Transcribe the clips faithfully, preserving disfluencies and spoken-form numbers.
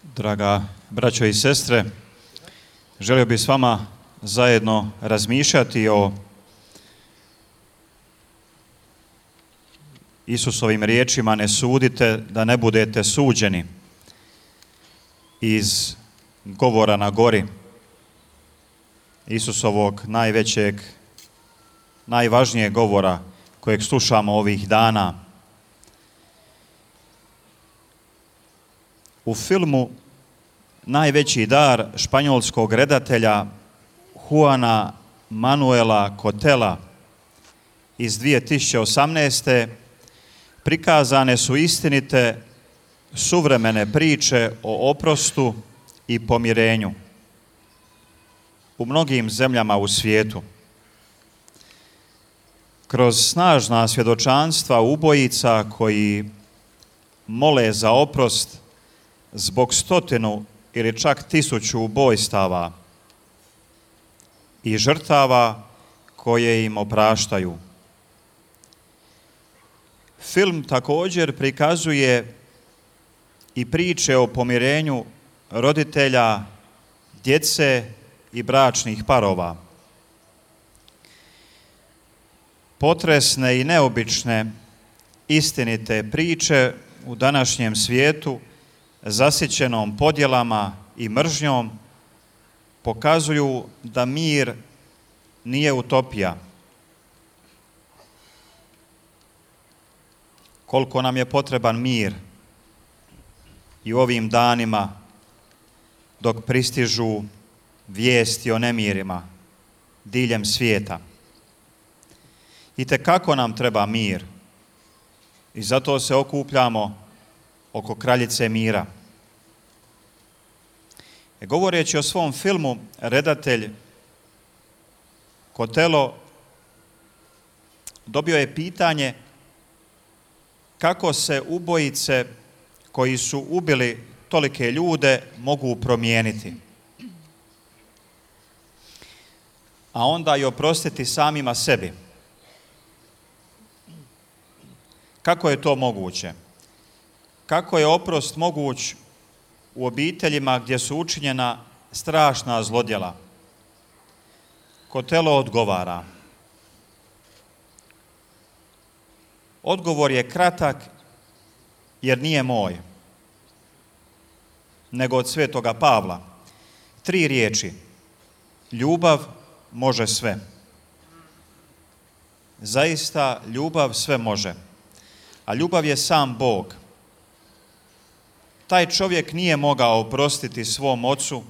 Draga braćo i sestre, želio bih s vama zajedno razmišljati o Isusovim riječima: ne sudite da ne budete suđeni, iz govora na gori, Isusovog najvećeg, najvažnijeg govora kojeg slušamo ovih dana. U filmu Najveći dar španjolskog redatelja Juana Manuela Cotela iz dvije tisuće osamnaeste. prikazane su istinite suvremene priče o oprostu i pomirenju u mnogim zemljama u svijetu. Kroz snažna svjedočanstva ubojica koji mole za oprost zbog stotinu ili čak tisuću ubojstava i žrtava koje im opraštaju. Film također prikazuje i priče o pomirenju roditelja, djece i bračnih parova. Potresne i neobične istinite priče u današnjem svijetu zasićenom podjelama i mržnjom pokazuju da mir nije utopija. Koliko nam je potreban mir i u ovim danima dok pristižu vijesti o nemirima diljem svijeta. Itekako nam treba mir i zato se okupljamo oko kraljice mira. E, govoreći o svom filmu, redatelj Cotelo dobio je pitanje kako se ubojice koji su ubili tolike ljude mogu promijeniti, a onda i oprostiti samima sebi. Kako je to moguće? Kako je oprost moguć u obiteljima gdje su učinjena strašna zlodjela? Cotelo odgovara. Odgovor je kratak jer nije moj, nego od svetoga Pavla. Tri riječi. Ljubav može sve. Zaista ljubav sve može. A ljubav je sam Bog. Taj čovjek nije mogao oprostiti svom ocu.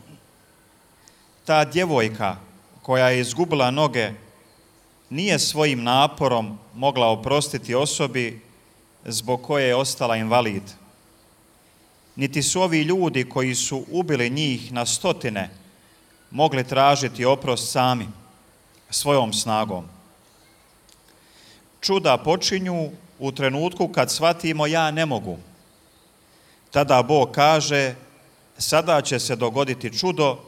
Ta djevojka koja je izgubila noge nije svojim naporom mogla oprostiti osobi zbog koje je ostala invalid. Niti su ovi ljudi koji su ubili njih na stotine mogli tražiti oprost sami, svojom snagom. Čuda počinju u trenutku kad shvatimo ja ne mogu. Tada Bog kaže, sada će se dogoditi čudo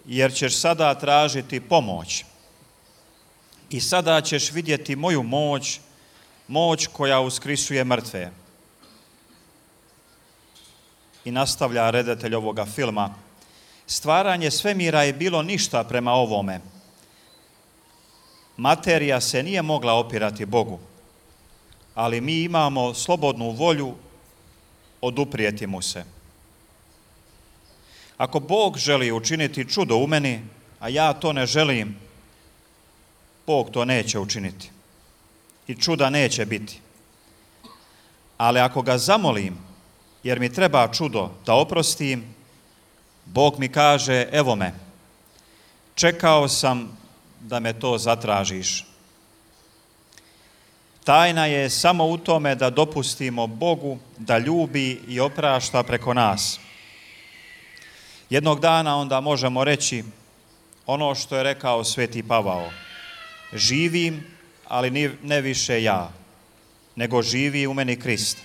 jer ćeš sada tražiti pomoć. I sada ćeš vidjeti moju moć, moć koja uskrisuje mrtve. I nastavlja redatelj ovoga filma. Stvaranje svemira je bilo ništa prema ovome. Materija se nije mogla opirati Bogu, ali mi imamo slobodnu volju oduprijeti mu se. Ako Bog želi učiniti čudo u meni, a ja to ne želim, Bog to neće učiniti i čuda neće biti. Ali ako ga zamolim, jer mi treba čudo da oprostim, Bog mi kaže, evo me, čekao sam da me to zatražiš. Tajna je samo u tome da dopustimo Bogu da ljubi i oprašta preko nas. Jednog dana onda možemo reći ono što je rekao sveti Pavao. Živim, ali ne više ja, nego živi u meni Krist.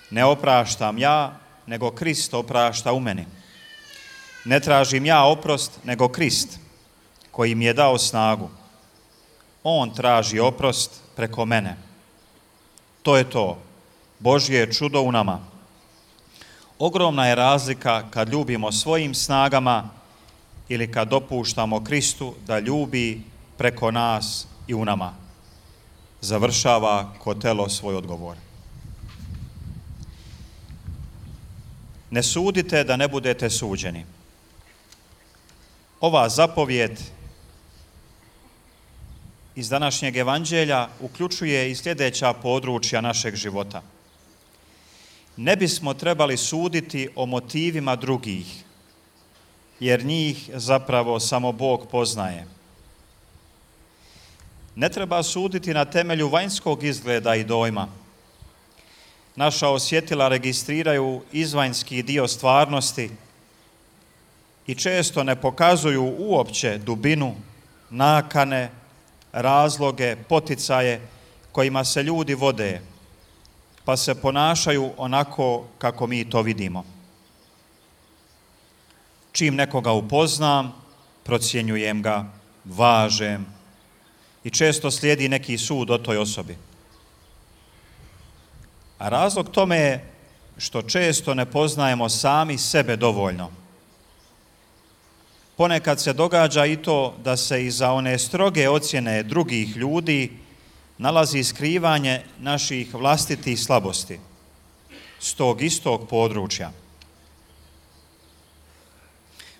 Ne opraštam ja, nego Krist oprašta u meni. Ne tražim ja oprost, nego Krist, koji mi je dao snagu. On traži oprost preko mene. To je to. Božje čudo u nama. Ogromna je razlika kad ljubimo svojim snagama ili kad dopuštamo Kristu da ljubi preko nas i u nama. Završava Kotelo svoj odgovor. Ne sudite da ne budete suđeni. Ova zapovjed iz današnjeg evanđelja uključuje i sljedeća područja našeg života. Ne bismo trebali suditi o motivima drugih, jer njih zapravo samo Bog poznaje. Ne treba suditi na temelju vanjskog izgleda i dojma. Naša osjetila registriraju izvanjski dio stvarnosti i često ne pokazuju uopće dubinu, nakane, razloge, poticaje kojima se ljudi vode, pa se ponašaju onako kako mi to vidimo. Čim nekoga upoznam, procjenjujem ga, važem i često slijedi neki sud o toj osobi. A razlog tome je što često ne poznajemo sami sebe dovoljno. Ponekad se događa i to da se iza one stroge ocjene drugih ljudi nalazi skrivanje naših vlastitih slabosti s tog istog područja.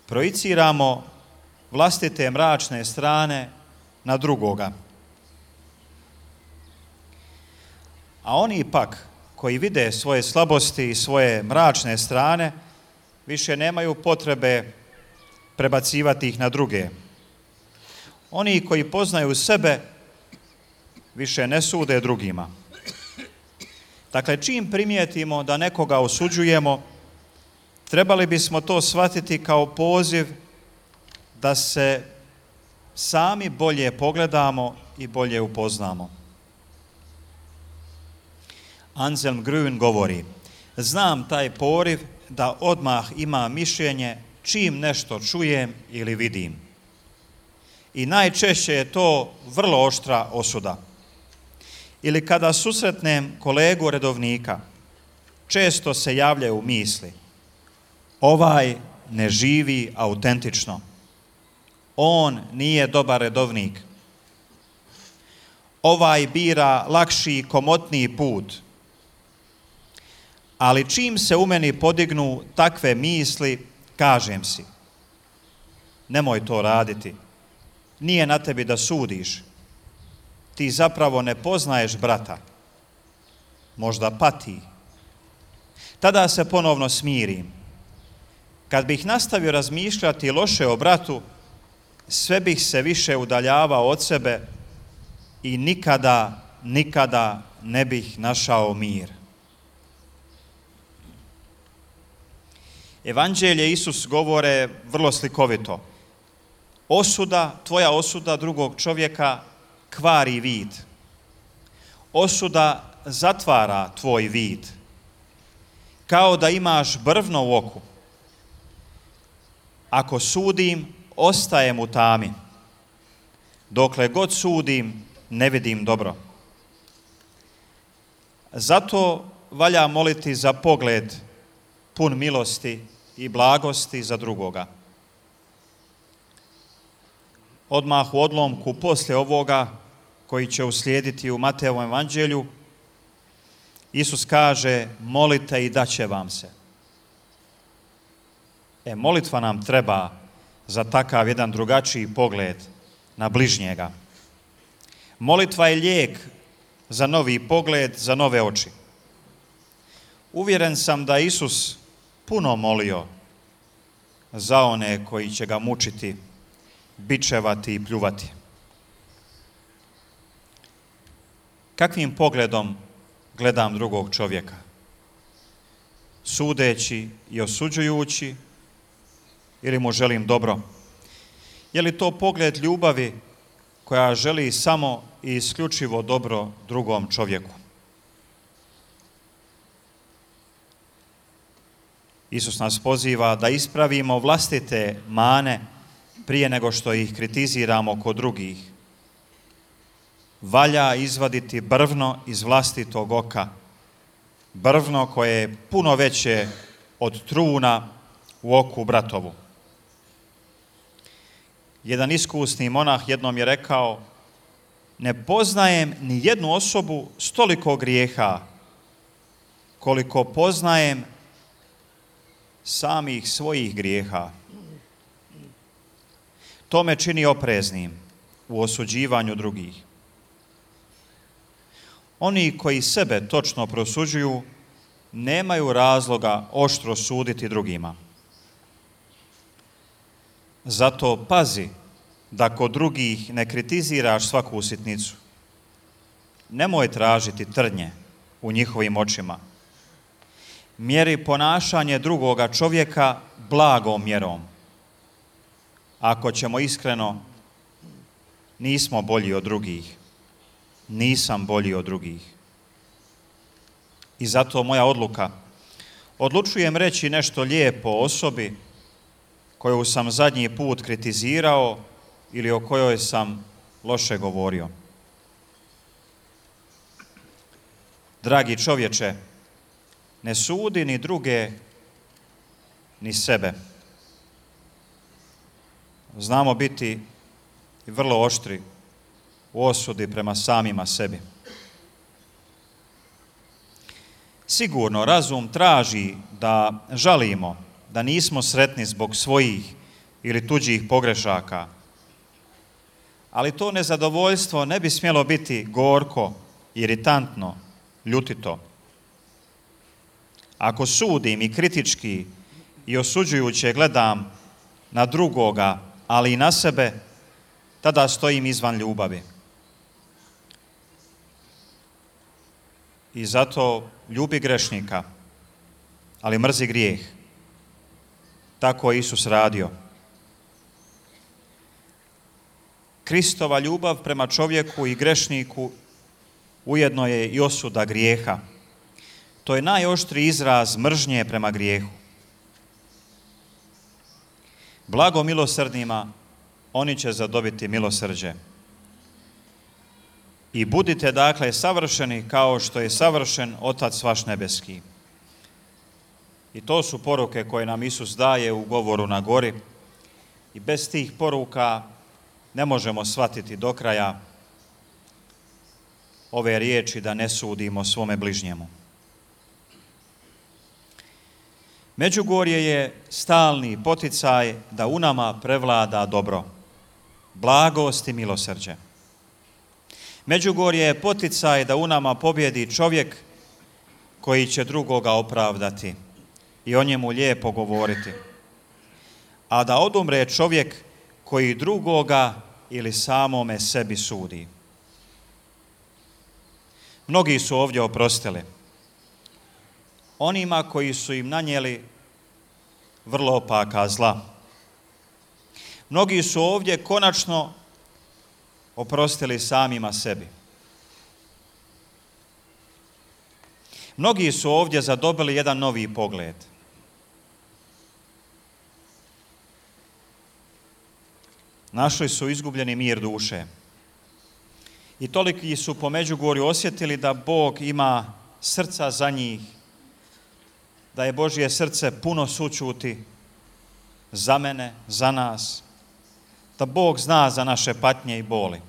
Projiciramo vlastite mračne strane na drugoga. A oni pak koji vide svoje slabosti i svoje mračne strane više nemaju potrebe prebacivati ih na druge. Oni koji poznaju sebe više ne sude drugima. Dakle, čim primijetimo da nekoga osuđujemo, trebali bismo to shvatiti kao poziv da se sami bolje pogledamo i bolje upoznamo. Anselm Grün govori: znam taj poriv da odmah ima mišljenje čim nešto čujem ili vidim. I najčešće je to vrlo oštra osuda. Ili kada susretnem kolegu redovnika, često se javljaju misli: ovaj ne živi autentično. On nije dobar redovnik. Ovaj bira lakši i komotniji put. Ali čim se u meni podignu takve misli, kažem si: nemoj to raditi. Nije na tebi da sudiš. Ti zapravo ne poznaješ brata. Možda pati. Tada se ponovno smirim. Kad bih nastavio razmišljati loše o bratu, sve bih se više udaljavao od sebe i nikada, nikada ne bih našao mir. Evanđelje Isus govore vrlo slikovito. Osuda, tvoja osuda drugog čovjeka kvari vid. Osuda zatvara tvoj vid. Kao da imaš brvno u oku. Ako sudim, ostajem u tami. Dokle god sudim, ne vidim dobro. Zato valja moliti za pogled pun milosti i blagosti za drugoga. Odmah u odlomku poslije ovoga, koji će uslijediti u Mateovom evanđelju, Isus kaže: molite i daće vam se. E, molitva nam treba za takav jedan drugačiji pogled na bližnjega. Molitva je lijek za novi pogled, za nove oči. Uvjeren sam da Isus puno molio za one koji će ga mučiti, bičevati i pljuvati. Kakvim pogledom gledam drugog čovjeka? Sudeći i osuđujući ili mu želim dobro? Je li to pogled ljubavi koja želi samo i isključivo dobro drugom čovjeku? Isus nas poziva da ispravimo vlastite mane prije nego što ih kritiziramo kod drugih. Valja izvaditi brvno iz vlastitog oka, brvno koje je puno veće od truna u oku bratovu. Jedan iskusni monah jednom je rekao: ne poznajem ni jednu osobu s toliko grijeha koliko poznajem samih svojih grijeha. To me čini opreznim u osuđivanju drugih. Oni koji sebe točno prosuđuju nemaju razloga oštro suditi drugima. Zato pazi da kod drugih ne kritiziraš svaku sitnicu. Nemoj tražiti trnje u njihovim očima. Mjeri ponašanje drugoga čovjeka blagom mjerom. Ako ćemo iskreno, nismo bolji od drugih. Nisam bolji od drugih. I zato moja odluka. Odlučujem reći nešto lijepo o osobi koju sam zadnji put kritizirao ili o kojoj sam loše govorio. Dragi čovječe, ne sudi ni druge, ni sebe. Znamo biti vrlo oštri u osudi prema samima sebi. Sigurno razum traži da žalimo, da nismo sretni zbog svojih ili tuđih pogrešaka, ali to nezadovoljstvo ne bi smjelo biti gorko, iritantno, ljutito. Ako sudim i kritički i osuđujuće gledam na drugoga, ali i na sebe, tada stojim izvan ljubavi. I zato ljubi grešnika, ali mrzi grijeh. Tako je Isus radio. Kristova ljubav prema čovjeku i grešniku ujedno je i osuda grijeha. To je najoštriji izraz mržnje prema grijehu. Blago milosrdnima, oni će zadobiti milosrđe. I budite dakle savršeni kao što je savršen Otac vaš nebeski. I to su poruke koje nam Isus daje u govoru na gori. I bez tih poruka ne možemo shvatiti do kraja ove riječi da ne sudimo svome bližnjemu. Međugorje je stalni poticaj da u nama prevlada dobro, blagost i milosrđe. Međugorje je poticaj da u nama pobjedi čovjek koji će drugoga opravdati i o njemu lijepo govoriti, a da odumre čovjek koji drugoga ili samome sebi sudi. Mnogi su ovdje oprostili onima koji su im nanijeli vrlo opaka zla. Mnogi su ovdje konačno oprostili samima sebi. Mnogi su ovdje zadobili jedan novi pogled. Našli su izgubljeni mir duše. I toliki su po Međugorju osjetili da Bog ima srca za njih, da je Božje srce puno sućuti za mene, za nas, da Bog zna za naše patnje i boli.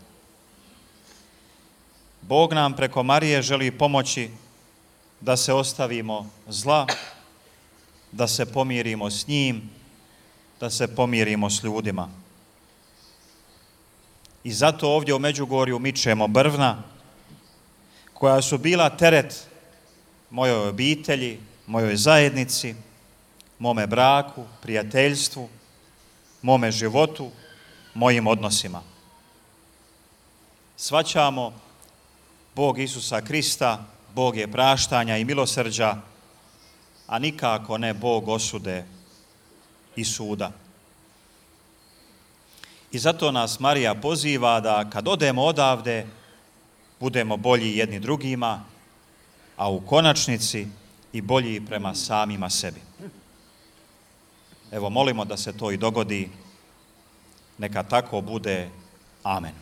Bog nam preko Marije želi pomoći da se ostavimo zla, da se pomirimo s njim, da se pomirimo s ljudima. I zato ovdje u Međugorju mičemo brvna koja su bila teret mojoj obitelji, mojoj zajednici, mome braku, prijateljstvu, mome životu, mojim odnosima. Shvaćamo Bog Isusa Krista, Bog je praštanja i milosrđa, a nikako ne Bog osude i suda. I zato nas Marija poziva da kad odemo odavde, budemo bolji jedni drugima, a u konačnici i bolji prema samima sebi. Evo, molimo da se to i dogodi. Neka tako bude. Amen.